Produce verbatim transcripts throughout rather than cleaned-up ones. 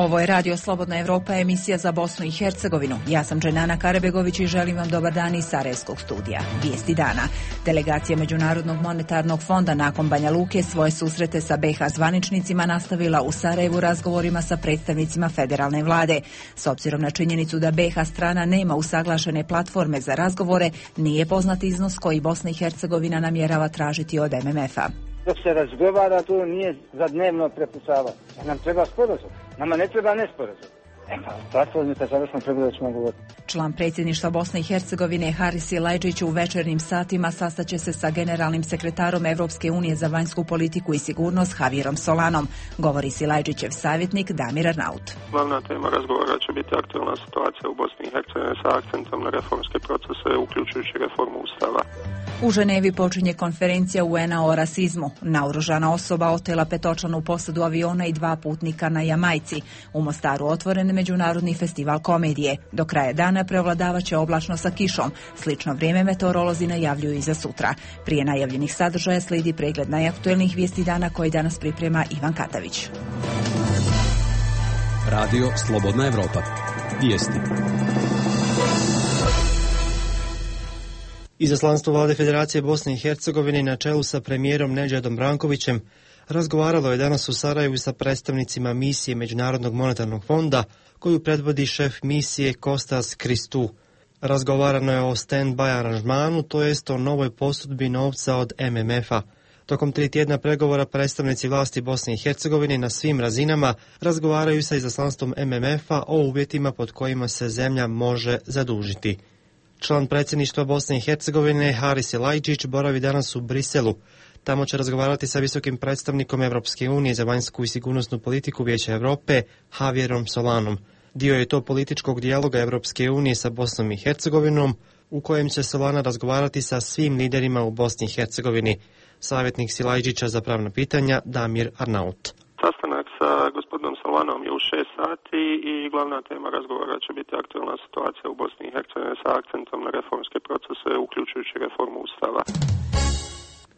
Ovo je Radio Slobodna Evropa, emisija za Bosnu i Hercegovinu. Ja sam Dženana Karabegović i želim vam dobar dan iz Sarajevskog studija. Vijesti dana. Delegacija Međunarodnog monetarnog fonda nakon Banja Luke svoje susrete sa B iH zvaničnicima nastavila u Sarajevu razgovorima sa predstavnicima federalne vlade. S obzirom na činjenicu da B iH strana nema usaglašene platforme za razgovore, nije poznat iznos koji Bosna i Hercegovina namjerava tražiti od M M F-a. Dok se razgovara, to nije za dnevno prepucavanje. Nam treba sporazum. Nama ne treba nesporazum. E pa, platformi kad završno pregovore ćemo govoriti. Član predsjedništva Bosne i Hercegovine Haris Silajdžić u večernjim satima sastaće se sa generalnim sekretarom Evropske unije za vanjsku politiku i sigurnost Javierom Solanom, govori Silajdžićev savjetnik Damir Arnaut. Glavna tema razgovora će biti aktualna situacija u Bosni i Hercegovini sa akcentom na reformske procese, uključujući reformu Ustava. U Ženevi počinje konferencija U N-a o rasizmu. Naoružana osoba otela petočlanu posadu aviona i dva putnika na Jamajci. U Mostaru otvoren međunarodni festival komedije. Do kraja dana prevladavaće oblačno sa kišom. Slično vrijeme meteorolozi najavljuju i za sutra. Prije najavljenih sadržaja slijedi pregled najaktuelnijih vijesti dana koji danas priprema Ivan Katavić. Radio Slobodna Evropa. Vijesti. Izaslanstvo vlade Federacije Bosne i Hercegovine na čelu sa premijerom Nedžadom Brankovićem razgovaralo je danas u Sarajevu sa predstavnicima misije Međunarodnog monetarnog fonda koju predvodi šef misije Kostas Kristou. Razgovarano je o stand-by aranžmanu, to jest o novoj posudbi novca od M M F-a. Tokom tri tjedna pregovora predstavnici vlasti Bosne i Hercegovine na svim razinama razgovaraju sa izaslanstvom M M F-a o uvjetima pod kojima se zemlja može zadužiti. Član predsjedništva Bosne i Hercegovine Haris Silajdžić boravi danas u Briselu. Tamo će razgovarati sa visokim predstavnikom Evropske unije za vanjsku i sigurnosnu politiku Vijeća Europe Javierom Solanom. Dio je to političkog dijaloga Evropske unije sa Bosnom i Hercegovinom, u kojem će Solana razgovarati sa svim liderima u Bosni i Hercegovini. Savjetnik Silajdžića za pravna pitanja Damir Arnaut. Sastanak sa gospodinom Solanom je u šest sati i glavna tema razgovora će biti aktualna situacija u Bosni i Hercegovini sa akcentom na reformske procese, uključujući reformu Ustava.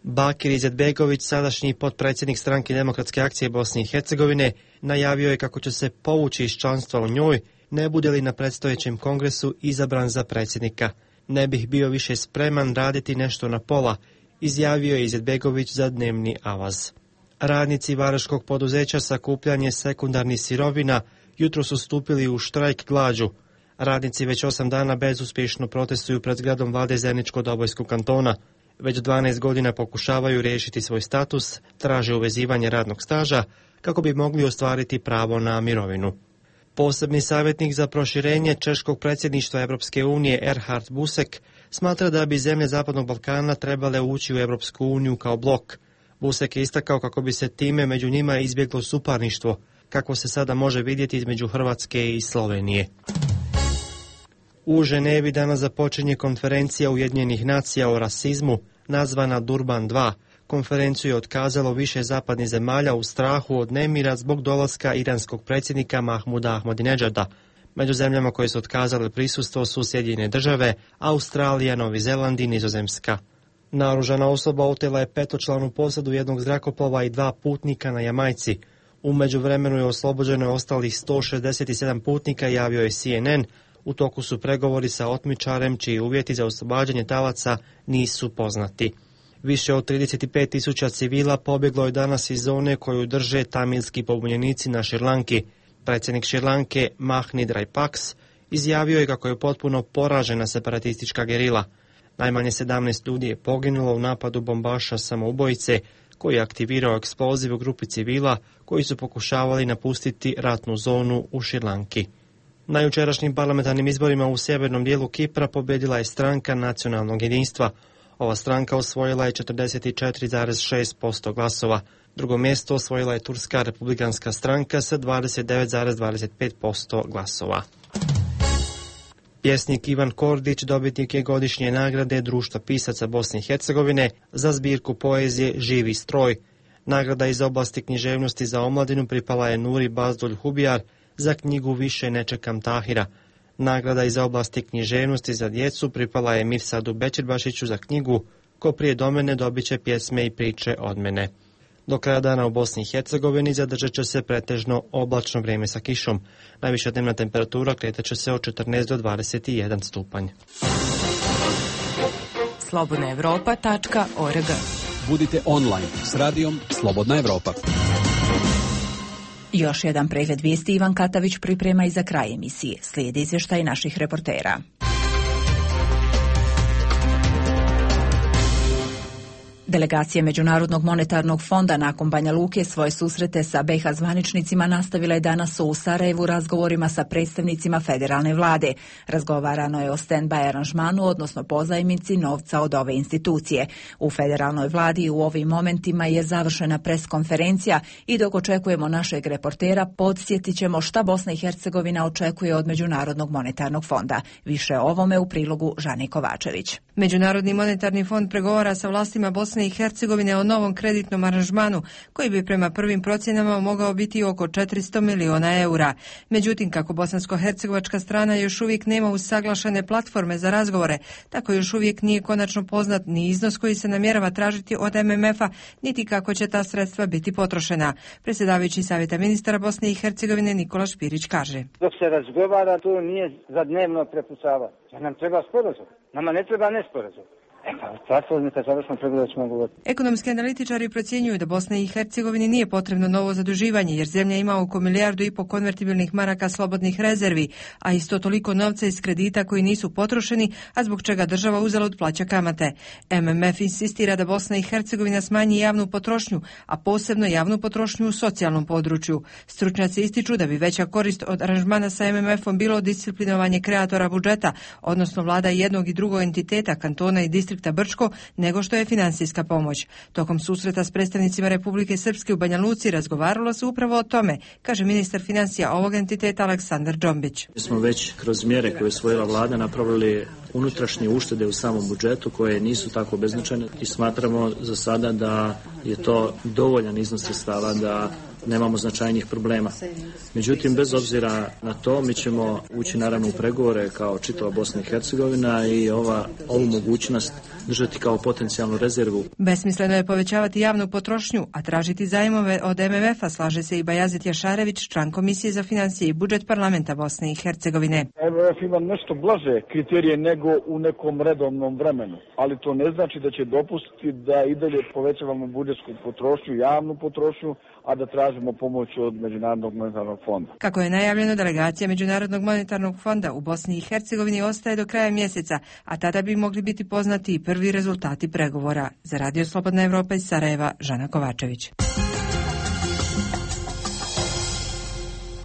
Bakir Izetbegović, sadašnji potpredsjednik stranke Demokratske akcije Bosne i Hercegovine, najavio je kako će se povući iz članstva u njoj, ne bude li na predstojećem kongresu izabran za predsjednika. Ne bih bio više spreman raditi nešto na pola, izjavio je Izetbegović za dnevni avaz. Radnici varaškog poduzeća sakupljanje sekundarnih sirovina jutro su stupili u štrajk glađu. Radnici već osam dana bezuspješno protestuju pred zgradom vlade Zeničko-Dobojskog kantona. Već dvanaest godina pokušavaju riješiti svoj status, traže uvezivanje radnog staža kako bi mogli ostvariti pravo na mirovinu. Posebni savjetnik za proširenje češkog predsjedništva Evropske unije Erhard Busek smatra da bi zemlje Zapadnog Balkana trebale ući u Evropsku uniju kao blok. Busek je istakao kako bi se time među njima izbjeglo suparništvo, kako se sada može vidjeti između Hrvatske i Slovenije. U Ženevi danas započinje konferencija Ujedinjenih nacija o rasizmu, nazvana Durban dva. Konferenciju je otkazalo više zapadnih zemalja u strahu od nemira zbog dolaska iranskog predsjednika Mahmuda Ahmadinedžada. Među zemljama koje su otkazale prisustvo su Sjedinjene države, Australija, Novi Zeland i Nizozemska. Naoružana osoba otela je petočlanu posadu jednog zrakoplova i dva putnika na Jamajci. U međuvremenu je oslobođeno ostalih sto šezdeset sedam putnika, javio je C N N. U toku su pregovori sa otmičarem čiji uvjeti za oslobađanje talaca nisu poznati. Više od trideset pet tisuća civila pobjeglo je danas iz zone koju drže tamilski pobunjenici na Šrilanki. Predsjednik Šrilanke Mahnid Rajpaks izjavio je kako je potpuno poražena separatistička gerila. Najmanje sedamnaest ljudi je poginulo u napadu bombaša samoubojice koji je aktivirao eksploziv u grupi civila koji su pokušavali napustiti ratnu zonu u Šrilanki. Na jučerašnjim parlamentarnim izborima u sjevernom dijelu Kipra pobjedila je stranka nacionalnog jedinstva. Ova stranka osvojila je četrdeset četiri zarez šest posto glasova. Drugo mjesto osvojila je Turska republikanska stranka sa dvadeset devet zarez dvadeset pet posto glasova. Pjesnik Ivan Kordić dobitnik je godišnje nagrade Društva pisaca Bosne i Hercegovine za zbirku poezije Živi stroj. Nagrada iz oblasti književnosti za omladinu pripala je Nuri Bazdulj Hubijar za knjigu Više ne čekam Tahira. Nagrada iz oblasti književnosti za djecu pripala je Mirsadu Bećirbašiću za knjigu Ko prije do mene dobit će pjesme i priče od mene. Do kraja dana u Bosni i Hercegovini zadržat će se pretežno oblačno vrijeme sa kišom. Najviša dnevna temperatura kretat će se od četrnaest do dvadeset jedan stupanj. slobodna evropa tačka org. Budite online s radijom Slobodna Evropa. Još jedan pregled vijesti Ivan Katavić priprema i za kraj emisije. Slijedi izvještaj naših reportera. Delegacija Međunarodnog monetarnog fonda nakon Banja Luke svoje susrete sa be i ha zvaničnicima nastavila je danas u Sarajevu razgovorima sa predstavnicima federalne vlade. Razgovarano je o stand-by aranžmanu, odnosno pozajmici novca od ove institucije. U federalnoj vladi u ovim momentima je završena preskonferencija i dok očekujemo našeg reportera, podsjetit ćemo šta Bosna i Hercegovina očekuje od Međunarodnog monetarnog fonda. Više o ovome u prilogu Žane Kovačević. Međunarodni monetarni fond pregovara sa vlastima Bosne i Hercegovine o novom kreditnom aranžmanu koji bi prema prvim procjenama mogao biti oko četiristo miliona eura. Međutim, kako bosansko-hercegovačka strana još uvijek nema usaglašene platforme za razgovore, tako još uvijek nije konačno poznat ni iznos koji se namjerava tražiti od em em efa, niti kako će ta sredstva biti potrošena. Predsjedavajući Savjeta ministara Bosne i Hercegovine Nikola Špirić kaže: Dok se razgovara, to nije za dnevno prepucavanje. Nam treba sporazum. Nama ne treba nesporazum. E pa, platformita završno pregovaračima govoriti. Ekonomski analitičari procjenjuju da Bosni i Hercegovini nije potrebno novo zaduživanje, jer zemlja ima oko milijardu i po konvertibilnih maraka slobodnih rezervi, a isto toliko novca iz kredita koji nisu potrošeni, a zbog čega država uzalud plaća kamate. em em ef insistira da Bosna i Hercegovina smanji javnu potrošnju, a posebno javnu potrošnju u socijalnom području. Stručnjaci ističu da bi veća korist od aranžmana sa em em efom bilo disciplinovanje kreatora budžeta, odnosno vlada jednog i drugog entiteta, kantona i distrikta Brčko, nego što je financijska pomoć. Tokom susreta s predstavnicima Republike Srpske u Banja Luci razgovaralo se upravo o tome, kaže ministar financija ovog entiteta Aleksandar Džombić. Mi smo već kroz mjere koje je usvojila vlada napravili unutrašnje uštede u samom budžetu koje nisu tako beznačajne i smatramo za sada da je to dovoljan iznos sredstava da nemamo značajnijih problema. Međutim, bez obzira na to, mi ćemo ući naravno u pregovore kao čitava Bosna i Hercegovina i ova, ovu mogućnost držati kao potencijalnu rezervu. Besmisleno je povećavati javnu potrošnju, a tražiti zajmove od em em efa, slaže se i Bajazit Jašarević, član Komisije za financije i budžet parlamenta Bosne i Hercegovine. em em ef ima nešto blaže kriterije nego u nekom redovnom vremenu, ali to ne znači da će dopustiti da i dalje povećavamo budžetsku potrošnju, javnu potrošnju, a da tražimo pomoć od Međunarodnog monetarnog fonda. Kako je najavljeno, delegacija Međunarodnog monetarnog fonda u Bosni i Hercegovini ostaje do kraja mjeseca, a tada bi mogli biti poznati i prvi rezultati pregovora. Za Radio Slobodna Evropa iz Sarajeva, Žana Kovačević.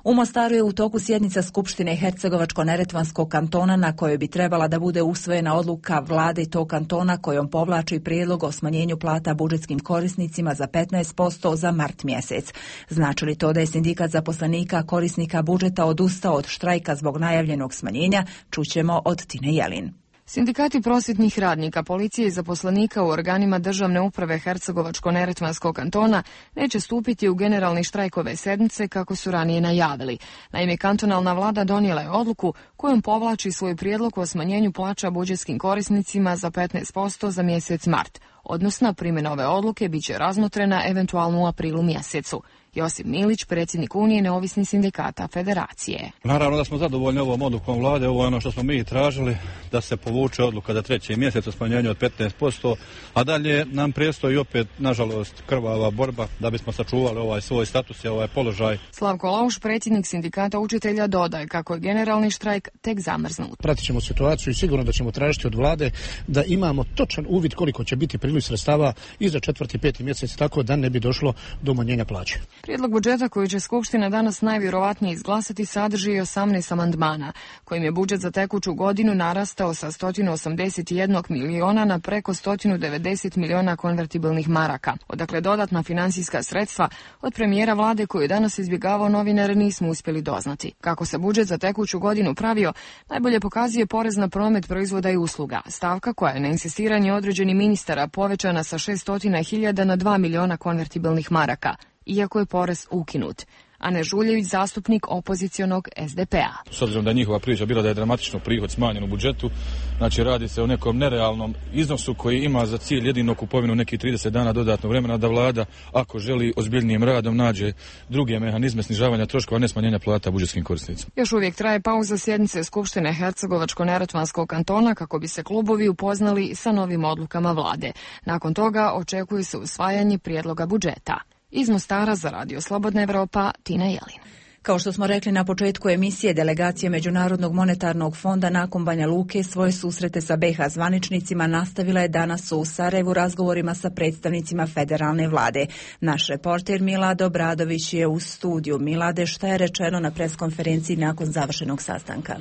U Mostaru je u toku sjednica Skupštine Hercegovačko-neretvanskog kantona na kojoj bi trebala da bude usvojena odluka vlade tog kantona kojom povlači prijedlog o smanjenju plata budžetskim korisnicima za petnaest posto za mart mjesec. Znači li to da je sindikat zaposlenika korisnika budžeta odustao od štrajka zbog najavljenog smanjenja? Čućemo od Tine Jelin. Sindikati prosvjetnih radnika, policije i zaposlenika u organima državne uprave Hercegovačko-neretvanskog kantona neće stupiti u generalni štrajk ove sedmice kako su ranije najavili. Naime, kantonalna vlada donijela je odluku kojom povlači svoj prijedlog o smanjenju plaća budžetskim korisnicima za petnaest posto za mjesec mart. Odnosna primjena ove odluke bit će razmotrena eventualno u aprilu mjesecu. Josip Milić, predsjednik Unije neovisnih sindikata Federacije. Naravno da smo zadovoljni ovom odlukom vlade, ovo je ono što smo mi tražili, da se povuče odluka za treći mjesec o smanjenju od petnaest posto, a dalje nam predstoji opet, nažalost, krvava borba da bismo sačuvali ovaj svoj status i ovaj položaj. Slavko Lauš, predsjednik sindikata učitelja, dodaje kako je generalni štrajk tek zamrznut. Pratit ćemo situaciju i sigurno da ćemo tražiti od vlade da imamo točan uvid koliko će biti priliv sredstava i za četvrti i peti mjesec, tako da ne bi došlo do umanjenja plaće. Prijedlog budžeta koji će Skupština danas najvjerovatnije izglasati sadrži osamnaest amandmana, kojim je budžet za tekuću godinu narastao sa sto osamdeset jedan miliona na preko sto devedeset miliona konvertibilnih maraka. Odakle dodatna financijska sredstva od premijera vlade koju je danas izbjegavao novinar nismo uspjeli doznati. Kako se budžet za tekuću godinu pravio, najbolje pokazuje porez na promet proizvoda i usluga, stavka koja je na insistiranje određenih ministara povećana sa šeststo hiljada na dva miliona konvertibilnih maraka, iako je porez ukinut. Ane Žuljević, zastupnik opozicionog es de pe-a. S obzirom da je njihova priča bila da je dramatično prihod smanjen u budžetu, znači radi se o nekom nerealnom iznosu koji ima za cilj jedino kupovinu nekih trideset dana dodatnog vremena da vlada, ako želi ozbiljnijim radom, nađe druge mehanizme snižavanja troškova, ne smanjenja plata budžetskim korisnicima. Još uvijek traje pauza sjednice Skupštine Hercegovačko-neretvanskog kantona kako bi se klubovi upoznali sa novim odlukama vlade. Nakon toga očekuje se usvajanje prijedloga budžeta. Iz Mostara za Radio Slobodna Evropa, Tina Jelin. Kao što smo rekli na početku emisije, delegacija Međunarodnog monetarnog fonda nakon Banja Luke svoje susrete sa be ha zvaničnicima nastavila je danas u Sarajevu razgovorima sa predstavnicima federalne vlade. Naš reporter Milado Bradović je u studiju. Milade, šta je rečeno na preskonferenciji nakon završenog sastanka?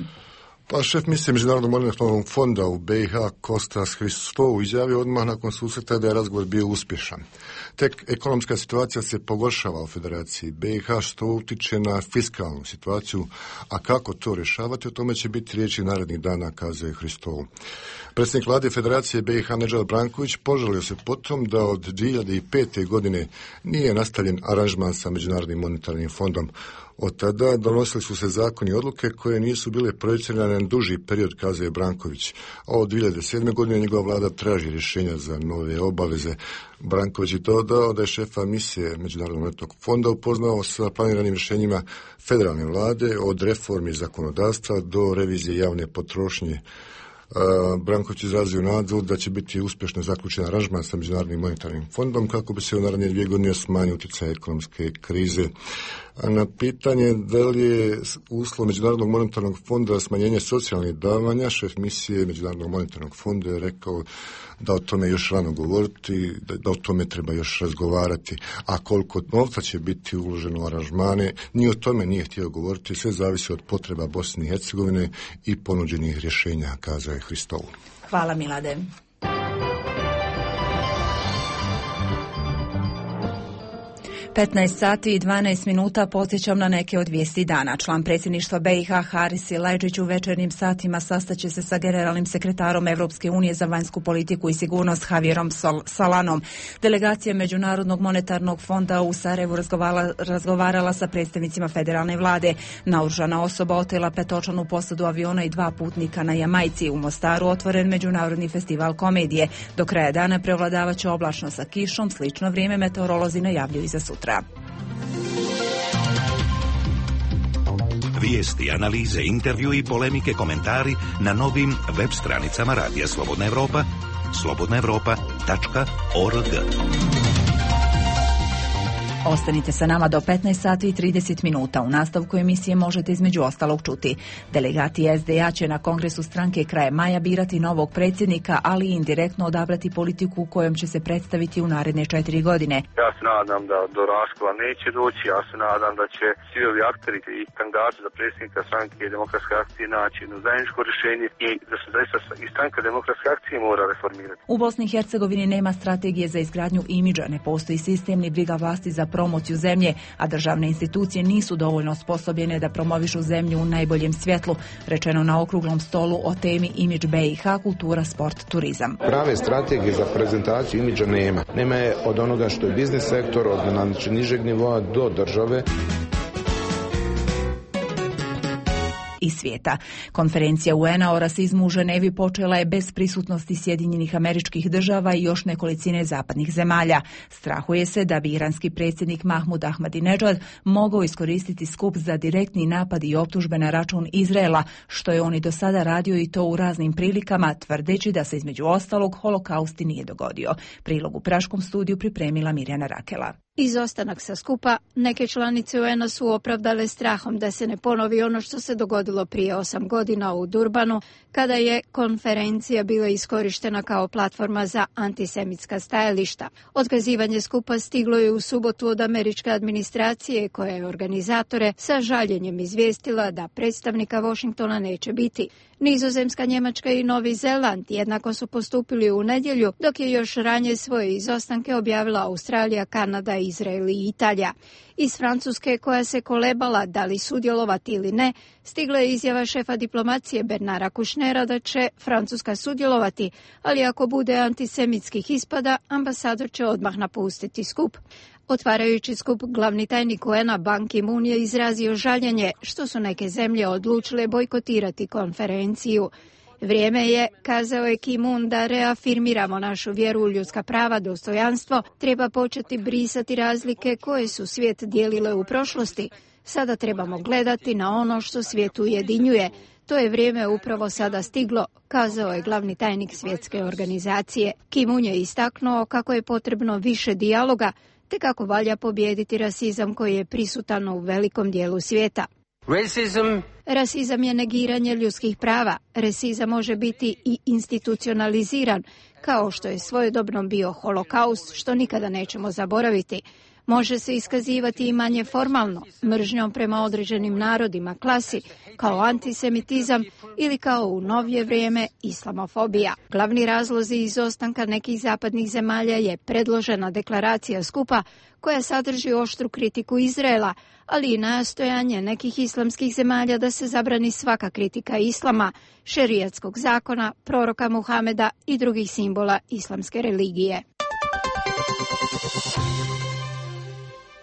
Pa šef misije Međunarodnog monetarnog fonda u be ha Kostas Hristou izjavio odmah nakon susreta da je razgovor bio uspješan. Tek ekonomska situacija se pogoršava u Federaciji be ha, što utiče na fiskalnu situaciju, a kako to rješavati, o tome će biti riječi narednih dana, kazao je Hristou. Predsjednik vlade Federacije be ha Nedžad Branković požalio se potom da od dvije hiljade pete. godine nije nastavljen aranžman sa Međunarodnim monetarnim fondom. Od tada donosili su se zakoni i odluke koje nisu bile projicirane na duži period, kazao je Branković. A od dvije hiljade sedme. godine njegova vlada traži rješenja za nove obaveze. Branković je dodao da je šefa misije Međunarodnog monetarnog fonda upoznao sa planiranim rješenjima federalne vlade od reformi zakonodavstva do revizije javne potrošnje. Branković izrazio nadu da će biti uspješno zaključen aranžman sa Međunarodnim monetarnim fondom kako bi se u naredne dvije godine smanjio utjecaj ekonomske krize. Na pitanje da li je uslov Međunarodnog monetarnog fonda smanjenje socijalnih davanja, šef misije Međunarodnog monetarnog fonda je rekao da o tome još rano govoriti, da, da o tome treba još razgovarati, a koliko novca će biti uloženo u aranžmane, ni o tome nije htio govoriti, sve zavisi od potreba Bosne i Hercegovine i ponuđenih rješenja, kazao je Hristou. Hvala, Milade. petnaest sati i dvanaest minuta, podsjećam na neke od vijesti dana. Član predsjedništva be ha Haris Silajdžić u večernjim satima sastaće se sa generalnim sekretarom Evropske unije za vanjsku politiku i sigurnost Javierom Solanom. Delegacija Međunarodnog monetarnog fonda u Sarajevu razgovarala, razgovarala sa predstavnicima federalne vlade. Naoružana osoba otela petočlanu posadu aviona i dva putnika na Jamajci. U Mostaru otvoren međunarodni festival komedije. Do kraja dana prevladavaće oblačno sa kišom, slično vrijeme meteorolozi najavljuju i za sutra. Vijesti, analize, intervju i polemike, komentari na novim web stranicama Radija Slobodna Evropa, slobodna evropa tačka org. Ostanite sa nama do petnaest sati i trideset minuta. U nastavku emisije možete između ostalog čuti. Delegati es de a će na kongresu stranke krajem maja birati novog predsjednika, ali i indirektno odabrati politiku kojom će se predstaviti u naredne četiri godine. Ja se nadam da do raskova neće doći, ja se nadam da će svi ovi akteri i kandidati za predsjednika stranke Demokratske akcije naći jedno zajedničko rješenje i da se zaista i stranka Demokratske akcije mora reformirati. U Bosni i Hercegovini nema strategije za izgradnju imidža, ne postoji sistem ni briga vlasti za promociju zemlje, a državne institucije nisu dovoljno osposobljene da promovišu zemlju u najboljem svjetlu, rečeno na okruglom stolu o temi imidž be ha, kultura, sport, turizam. Prave strategije za prezentaciju imidža nema. Nema je od onoga što je biznis sektor, od znači, nižeg nivoa do države. I svijeta. Konferencija u en a o rasizmu u Ženevi počela je bez prisutnosti Sjedinjenih Američkih Država i još nekolicine zapadnih zemalja. Strahuje se da bi iranski predsjednik Mahmud Ahmadinejad mogao iskoristiti skup za direktni napad i optužbe na račun Izraela, što je on i do sada radio i to u raznim prilikama, tvrdeći da se između ostalog holokaust i nije dogodio. Prilog u Praškom studiju pripremila Mirjana Rakela. Izostanak sa skupa neke članice u en a su opravdale strahom da se ne ponovi ono što se dogodilo prije osam godina u Durbanu, kada je konferencija bila iskorištena kao platforma za antisemitska stajališta. Otkazivanje skupa stiglo je u subotu od američke administracije, koja je organizatore sa žaljenjem izvijestila da predstavnika Washingtona neće biti. Nizozemska, Njemačka i Novi Zeland jednako su postupili u nedjelju, dok je još ranije svoje izostanke objavila Australija, Kanada, Izrael i Italija. Iz Francuske, koja se kolebala da li sudjelovati ili ne, stigla je izjava šefa diplomacije Bernara Kušnera da će Francuska sudjelovati, ali ako bude antisemitskih ispada, ambasador će odmah napustiti skup. Otvarajući skup, glavni tajnik U N A Ban Ki-moon je izrazio žaljenje što su neke zemlje odlučile bojkotirati konferenciju. Vrijeme je, kazao je Ki-moon, da reafirmiramo našu vjeru u ljudska prava, dostojanstvo, treba početi brisati razlike koje su svijet dijelile u prošlosti. Sada trebamo gledati na ono što svijet ujedinjuje. To je vrijeme upravo sada stiglo, kazao je glavni tajnik svjetske organizacije. Ki-moon je istaknuo kako je potrebno više dijaloga, te kako valja pobijediti rasizam koji je prisutan u velikom dijelu svijeta. Racism. Rasizam je negiranje ljudskih prava. Rasizam može biti i institucionaliziran, kao što je svojedobno bio holokaust, što nikada nećemo zaboraviti. Može se iskazivati i manje formalno, mržnjom prema određenim narodima, klasi, kao antisemitizam ili kao u novije vrijeme islamofobija. Glavni razlozi izostanka nekih zapadnih zemalja je predložena deklaracija skupa koja sadrži oštru kritiku Izraela, ali i nastojanje nekih islamskih zemalja da se zabrani svaka kritika islama, šerijatskog zakona, proroka Muhameda i drugih simbola islamske religije.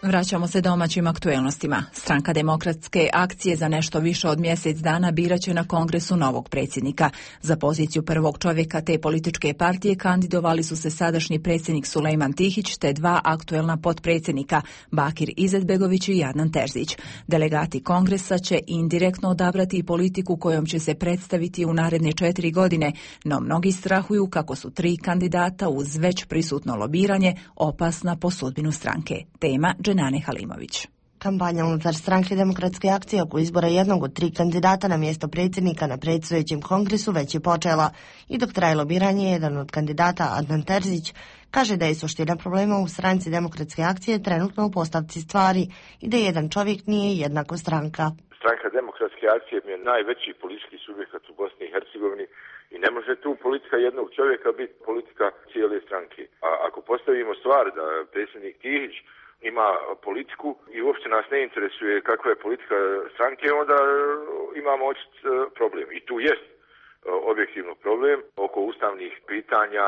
Vraćamo se domaćim aktuelnostima. Stranka Demokratske akcije za nešto više od mjesec dana biraće na kongresu novog predsjednika. Za poziciju prvog čovjeka te političke partije kandidovali su se sadašnji predsjednik Sulejman Tihić te dva aktuelna potpredsjednika, Bakir Izetbegović i Adnan Terzić. Delegati kongresa će indirektno odabrati i politiku kojom će se predstaviti u naredne četiri godine, no mnogi strahuju kako su tri kandidata uz već prisutno lobiranje opasna po sudbinu stranke. Tema Dženane Halimović. Kampanja unutar stranke Demokratske akcije oko izbora jednog od tri kandidata na mjesto predsjednika na predstojećem kongresu već je počela. I dok traje lobiranje, jedan od kandidata, Adnan Terzić, kaže da je suština problema u stranci Demokratske akcije trenutno u postavci stvari i da jedan čovjek nije jednako stranka. Stranka Demokratske akcije je najveći politički subjekat u Bosni i Hercegovini i ne može tu politika jednog čovjeka biti politika cijele stranke. A ako postavimo stvar da predsjednik Tihić ima politiku i uopće nas ne interesuje kakva je politika stranke, onda imamo očit problem. I tu jest objektivno problem. Oko ustavnih pitanja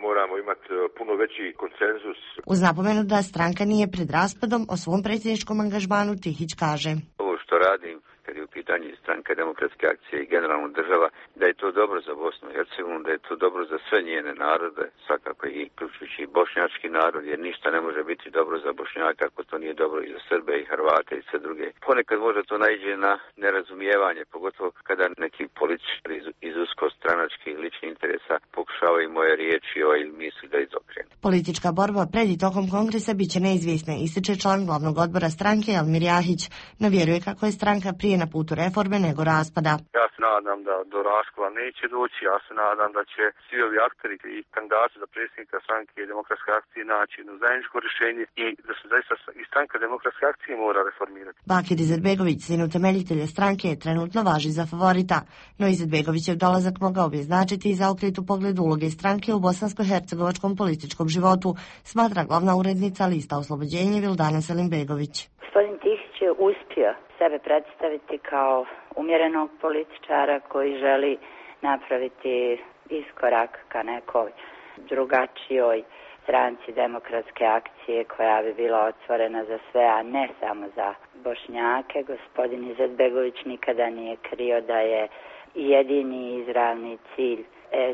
moramo imati puno veći konsenzus. Uz napomenu da stranka nije pred raspadom, o svom predsjedničkom angažmanu Tihić kaže: Ovo što radim, kad je u pitanju stranka Demokratske akcije i generalno država, da je to dobro za Bosnu i Hercegovinu, da je to dobro za sve njene narode, svakako i uključujući i bošnjački narod, jer ništa ne može biti dobro za Bošnjaka ako to nije dobro i za Srbe i Hrvate i sve druge. Ponekad možda to naiđe na nerazumijevanje, pogotovo kada neki političari iz, iz uskostranačkih ličnih interesa pokušavaju moje riječi ili misli da izokrenu. Politička borba pred i tokom kongresa biće neizvjesna, ističe član glavnog odbora stranke Almir Jahić, no vjeruje kako je stranka prije na putu reforme nego raspada. Ja se nadam da do raskola neće doći, ja se nadam da će svi ovi akteri i kandidati za predsjednika stranke Demokratske akcije naći jedno zajedničko rješenje i da se zaista i stranka Demokratske akcije mora reformirati. Bakir Izetbegović, sin utemeljitelja stranke, trenutno važi za favorita, no Izetbegovićev dolazak mogao bi značiti i zaokret u pogledu uloge stranke u bosansko-hercegovačkom političkom životu, smatra glavna urednica Lista Oslobođenje Vildana Selimbegović. Gospodin Tihić je uspio sebe predstaviti kao umjerenog političara koji želi napraviti iskorak ka nekoj drugačijoj stranci Demokratske akcije koja bi bila otvorena za sve, a ne samo za Bošnjake. Gospodin Izetbegović nikada nije krio da je jedini izravni cilj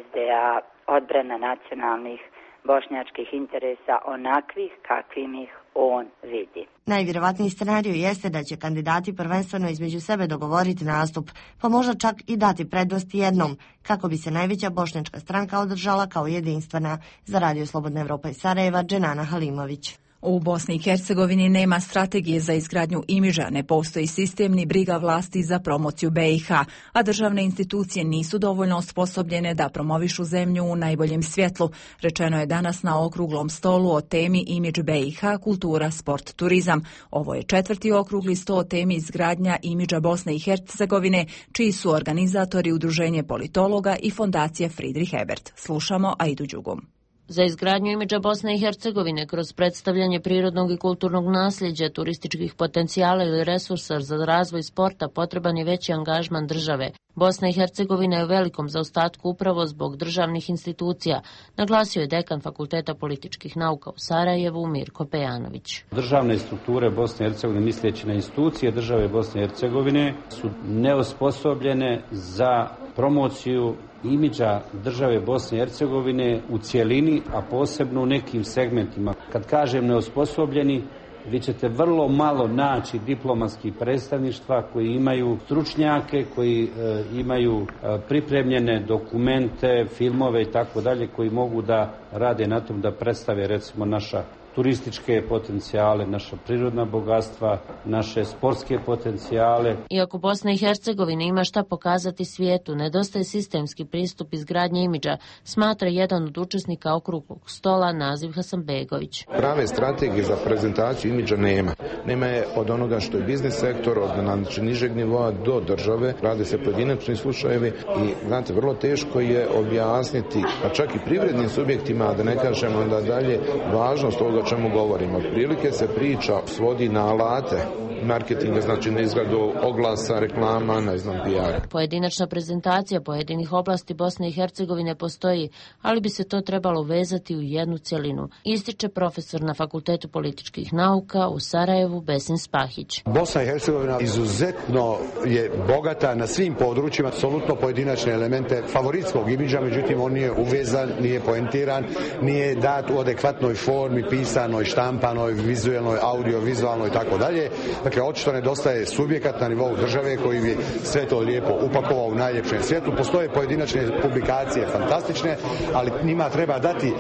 S D A odbrana nacionalnih bošnjačkih interesa onakvih kakvim ih on vidi. Najvjerovatniji scenarij jeste da će kandidati prvenstveno između sebe dogovoriti nastup, pa možda čak i dati prednost jednom, kako bi se najveća bošnjačka stranka održala kao jedinstvena. Za Radio Slobodna Evropa iz Sarajeva, Dženana Halimović. U Bosni i Hercegovini nema strategije za izgradnju imidža, ne postoji sistem ni briga vlasti za promociju B i H, a državne institucije nisu dovoljno osposobljene da promovišu zemlju u najboljem svjetlu, rečeno je danas na okruglom stolu o temi imidž B i H, kultura, sport, turizam. Ovo je četvrti okrugli sto o temi izgradnja imidža Bosne i Hercegovine, čiji su organizatori Udruženje politologa i fondacija Friedrich Ebert. Slušamo Aidu Đugum. Za izgradnju imidža Bosne i Hercegovine kroz predstavljanje prirodnog i kulturnog nasljeđa, turističkih potencijala ili resursa za razvoj sporta potreban je veći angažman države. Bosna i Hercegovina je u velikom zaostatku upravo zbog državnih institucija, naglasio je dekan Fakulteta političkih nauka u Sarajevu Mirko Pejanović. Državne strukture Bosne i Hercegovine, misleći na institucije države Bosne i Hercegovine, su neosposobljene za promociju imidža države Bosne i Hercegovine u cjelini, a posebno u nekim segmentima. Kad kažem neosposobljeni, vi ćete vrlo malo naći diplomatskih predstavništva koji imaju stručnjake, koji e, imaju e, pripremljene dokumente, filmove i tako dalje, koji mogu da rade na tom da predstave recimo naša turističke potencijale, naša prirodna bogatstva, naše sportske potencijale. Iako Bosna i Hercegovina ima šta pokazati svijetu, nedostaje sistemski pristup izgradnje imidža, smatra jedan od učesnika okruglog stola Naziv Hasanbegović. Prave strategije za prezentaciju imidža nema. Nema je od onoga što je biznis sektor, od znači, nižeg nivoa do države. Rade se pojedinačni slučajevi i znate, vrlo teško je objasniti, pa čak i privrednim subjektima, da ne kažemo onda dalje, važnost toga o čemu govorimo. Otprilike se priča svodi na alate marketinga, znači na izradu oglasa, reklama, ne znam, P R. Pojedinačna prezentacija pojedinih oblasti Bosne i Hercegovine postoji, ali bi se to trebalo vezati u jednu cjelinu, ističe profesor na Fakultetu političkih nauka u Sarajevu Besin Spahić. Bosna i Hercegovina izuzetno je bogata na svim područjima, apsolutno pojedinačne elemente favoritskog imidža, međutim on nije uvezan, nije poentiran, nije dat u adekvatnoj formi, pisanoj, štampanoj, vizualnoj, audio-vizualnoj i tako dalje. Dakle, očito nedostaje subjekat na nivou države koji bi sve to lijepo upakovao u najljepšem svijetu. Postoje pojedinačne publikacije fantastične, ali njima treba dati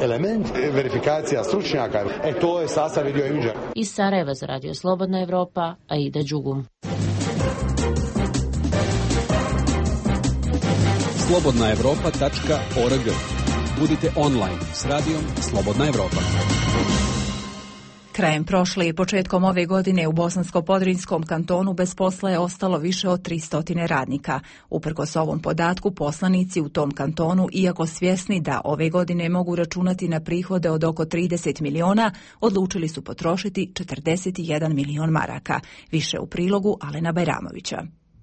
element verifikacija stručnjaka. E, to je sastavni dio imidža. Iz Sarajeva za Radio Slobodna Evropa, Aida Đugum. slobodna evropa tačka org. Budite online s radijom Slobodna Evropa. Krajem prošle i početkom ove godine u Bosansko-Podrinjskom kantonu bez posla je ostalo više od tristo radnika. Uprkos ovom podatku, poslanici u tom kantonu, iako svjesni da ove godine mogu računati na prihode od oko trideset miliona, odlučili su potrošiti četrdeset jedan milion maraka. Više u prilogu Alena Bajramovića.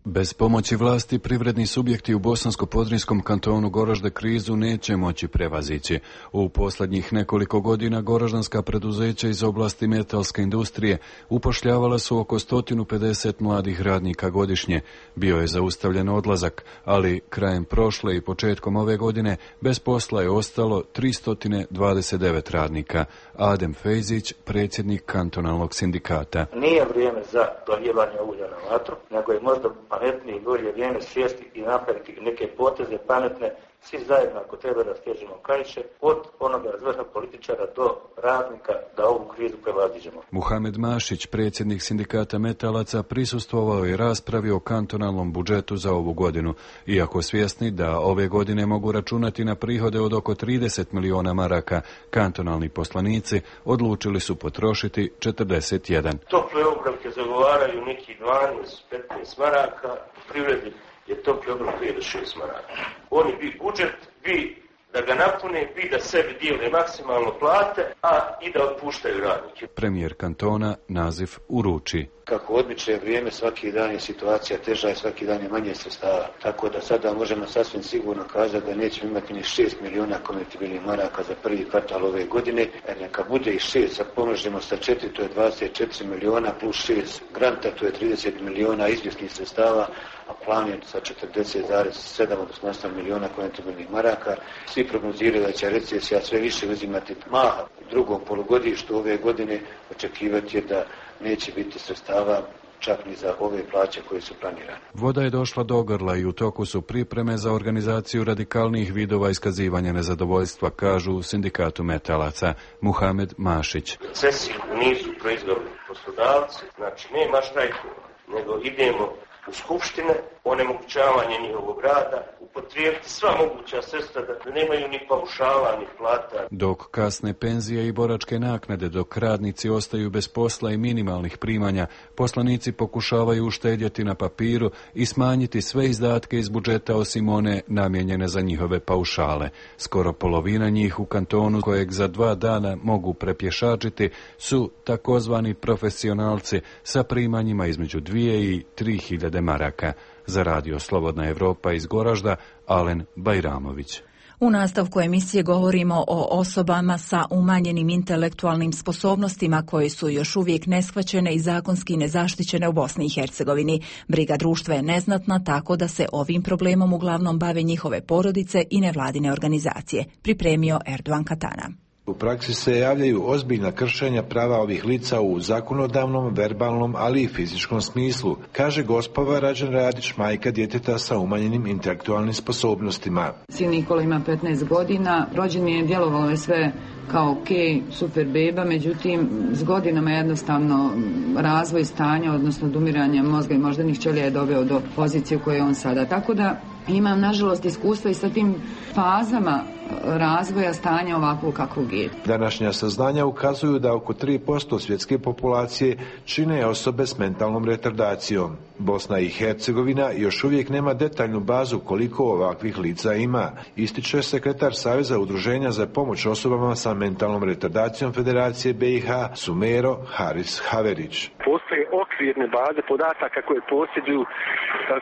Bez pomoći vlasti privredni subjekti u Bosansko-Podrinjskom kantonu Goražde krizu neće moći prevazići. U posljednjih nekoliko godina goraždanska preduzeća iz oblasti metalske industrije upošljavala su oko sto pedeset mladih radnika godišnje. Bio je zaustavljen odlazak, ali krajem prošle i početkom ove godine bez posla je ostalo tristo dvadeset devet radnika. Adem Fejzić, predsjednik kantonalnog sindikata. Nije vrijeme za doljevanje ulja na vatru, nego je možda pametnije i bolje vrijeme sjesti i napraviti neke poteze pametne, svi zajedno ako treba da stežemo kaiše, od onoga razvrha političara do radnika da ovu krizu prevaziđemo. Muhamed Mašić, predsjednik sindikata metalaca, prisustvovao je raspravi o kantonalnom budžetu za ovu godinu. Iako svjesni da ove godine mogu računati na prihode od oko trideset miliona maraka, kantonalni poslanici odlučili su potrošiti četrdeset jedan. Tople obroke zagovaraju neki dvanaest petnaest maraka, u privredi je topli obrok pet do šest maraka. Oni bi budžet, bi da ga napune, bi da sebi dijele maksimalno plate, a i da otpuštaju radnike. Premijer kantona Naziv uruči. Kako odmiče vrijeme, svaki dan je situacija teža i svaki dan je manje sredstava. Tako da sada možemo sasvim sigurno kazati da nećemo imati ni šest miliona konvertibilnih maraka za prvi kvartal ove godine. E neka bude i šest, sad pomnožimo sa četiri, to je dvadeset četiri miliona plus šest granta, to je trideset miliona izvjesnih sredstava, a plan je sa četrdeset zarez sedam odnosno osam miliona konvertibilnih maraka. Svi prognoziraju da će recesija sve više uzimati maha u drugom polugodištu ove godine. Očekivati je da neće biti sredstava čak ni za ove plaće koje su planirane. Voda je došla do grla i u toku su pripreme za organizaciju radikalnih vidova iskazivanja nezadovoljstva, kažu u sindikatu metalaca. Muhamed Mašić. Recesiju nisu proizveli poslodavci, znači nema štrajkova, nego idemo u skupštine, onemogućavanje njihovog rada, upotrijebiti sva moguća sredstva da nemaju ni paušala, ni plata. Dok kasne penzije i boračke naknade, dok radnici ostaju bez posla i minimalnih primanja, poslanici pokušavaju uštedjeti na papiru i smanjiti sve izdatke iz budžeta osim one namijenjene za njihove paušale. Skoro polovina njih u kantonu kojeg za dva dana mogu prepješačiti su takozvani profesionalci sa primanjima između dvije i tri hiljade maraka. Za radio Slobodna Evropa iz Goražda, Alen Bajramović. U nastavku emisije govorimo o osobama sa umanjenim intelektualnim sposobnostima koje su još uvijek neshvaćene i zakonski nezaštićene u Bosni i Hercegovini. Briga društva je neznatna, tako da se ovim problemom uglavnom bave njihove porodice i nevladine organizacije, pripremio Erdogan Katana. U praksi se javljaju ozbiljna kršenja prava ovih lica u zakonodavnom, verbalnom, ali i fizičkom smislu, kaže gospova Rađan Radić, majka djeteta sa umanjenim intelektualnim sposobnostima. Sin Nikola ima petnaest godina, rođen je, djelovalo je sve kao ok, super beba, međutim s godinama jednostavno razvoj stanja, odnosno odumiranje mozga i moždanih ćelija je doveo do pozicije u kojoj je on sada. Tako da imam nažalost iskustva i sa tim fazama razvoja stanja ovakvog kakvog je. Današnja saznanja ukazuju da oko tri posto svjetske populacije čine osobe s mentalnom retardacijom. Bosna i Hercegovina još uvijek nema detaljnu bazu koliko ovakvih lica ima, ističe sekretar Saveza udruženja za pomoć osobama sa mentalnom retardacijom Federacije B i H Sumero Haris Haverić. Postoje okvirne baze podataka koje posjeduju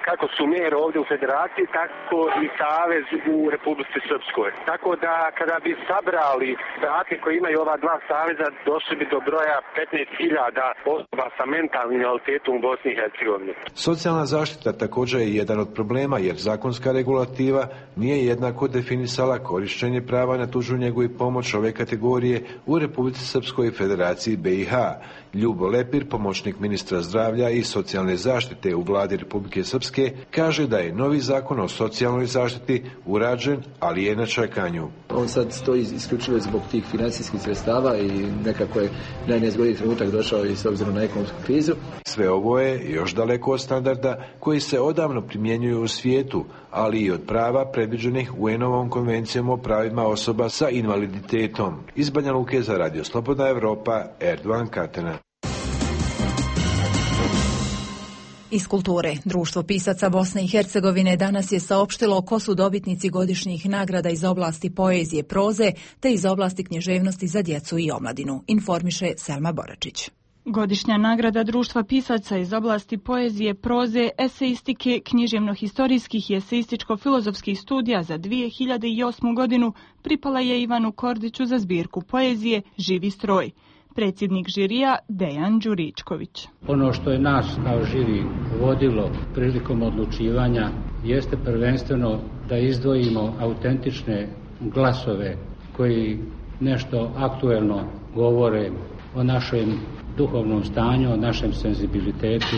kako Sumero ovdje u Federaciji, tako i Savez u Republici Srpskoj. Tako da kada bi sabrali podatke koje imaju ova dva saveza, došli bi do broja petnaest hiljada osoba sa mentalnim invaliditetom u Bosni i Hercegovini. Socijalna zaštita također je jedan od problema jer zakonska regulativa nije jednako definisala korištenje prava na tuđu njegu i pomoć ove kategorije u Republici Srpskoj i Federaciji B i H. Ljubo Lepir, pomoćnik ministra zdravlja i socijalne zaštite u vladi Republike Srpske, kaže da je novi zakon o socijalnoj zaštiti urađen, ali je na čekanju. On sad stoji isključivo zbog tih financijskih sredstava i nekako je najnezgodniji trenutak došao i s obzirom na ekonomsku krizu. Sve ovo je još daleko od standarda koji se odavno primjenjuju u svijetu, ali i od prava predviđenih U N-ovom konvencijom o pravima osoba sa invaliditetom. Iz Banja Luke za Radio Slobodna Evropa, Erdogan Katana. Iz kulture. Društvo pisaca Bosne i Hercegovine danas je saopštilo ko su dobitnici godišnjih nagrada iz oblasti poezije, proze te iz oblasti književnosti za djecu i omladinu, informiše Selma Boračić. Godišnja nagrada Društva pisaca iz oblasti poezije, proze, eseistike, književno-historijskih i eseističko-filozofskih studija za dvije hiljade osmu godinu pripala je Ivanu Kordiću za zbirku poezije Živi stroj. Predsjednik žirija Dejan Đuričković. Ono što je nas kao žiri vodilo prilikom odlučivanja jeste prvenstveno da izdvojimo autentične glasove koji nešto aktuelno govore o našem duhovnom stanju, o našem senzibilitetu,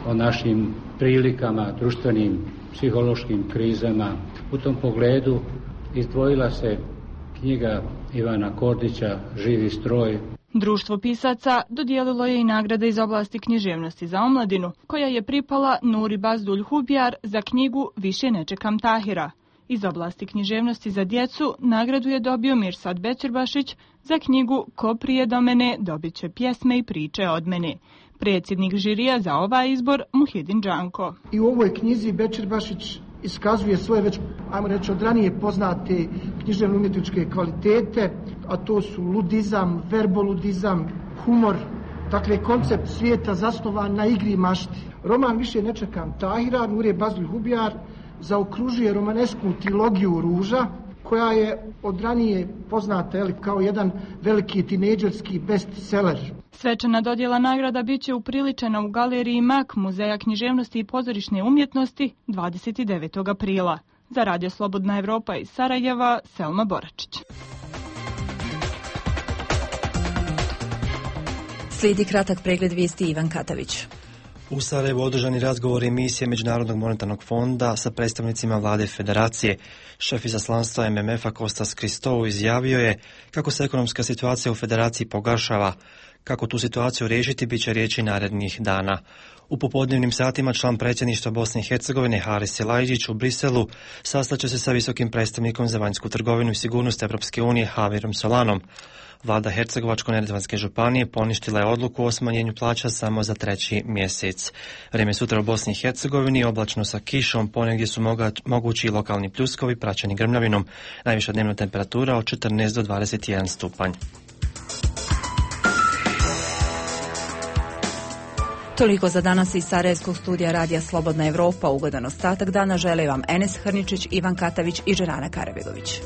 o našim prilikama, društvenim, psihološkim krizama. U tom pogledu izdvojila se knjiga Ivana Kordića Živi stroj. Društvo pisaca dodijelilo je i nagrade iz oblasti književnosti za omladinu, koja je pripala Nuri Bazdulj Hubjar za knjigu Više ne čekam Tahira. Iz oblasti književnosti za djecu nagradu je dobio Mirsad Bećirbašić za knjigu Ko prije do mene dobit će pjesme i priče od mene. Predsjednik žirija za ovaj izbor Muhidin Džanko. I u ovoj knjizi Bećirbašić iskazuje svoje već, ajmo reći, od ranije poznate književno-umjetničke kvalitete, a to su ludizam, verboludizam, humor, dakle koncept svijeta zasnovan na igri i mašti. Roman Više ne čekam Tahira, Nure Bazdulj Hubjar, zaokružuje romanesku trilogiju Ruža, koja je od ranije poznata jeli, kao jedan veliki tinejdžerski bestseller. Svečana dodjela nagrada bit će upriličena u galeriji Mak Muzeja književnosti i pozorišne umjetnosti dvadeset devetog aprila. Za Radio Slobodna Evropa iz Sarajeva, Selma Boračić. Slijedi kratak pregled vijesti Ivan Katavić. U Sarajevu održani razgovor emisije Međunarodnog monetarnog fonda sa predstavnicima vlade federacije. Šef izaslanstva M M F-a Kostas Kristou izjavio je kako se ekonomska situacija u federaciji pogoršava. Kako tu situaciju riješiti, bit će riječi narednih dana. U popodnevnim satima član predsjedništva Bosne i Hercegovine Haris Silajdžić u Briselu sastaće se sa visokim predstavnikom za vanjsku trgovinu i sigurnost Evropske unije Javierom Solanom. Vlada Hercegovačko-neretvanske županije poništila je odluku o smanjenju plaća samo za treći mjesec. Vrijeme sutra u Bosni i Hercegovini oblačno sa kišom, ponegdje su moga, mogući lokalni pljuskovi praćeni grmljavinom. Najviša dnevna temperatura od četrnaest do dvadeset jedan stupanj. Toliko za danas iz Sarajevskog studija Radija Slobodna Evropa. Ugodan ostatak dana žele vam Enes Hrničić, Ivan Katavić i Dženana Karabegović.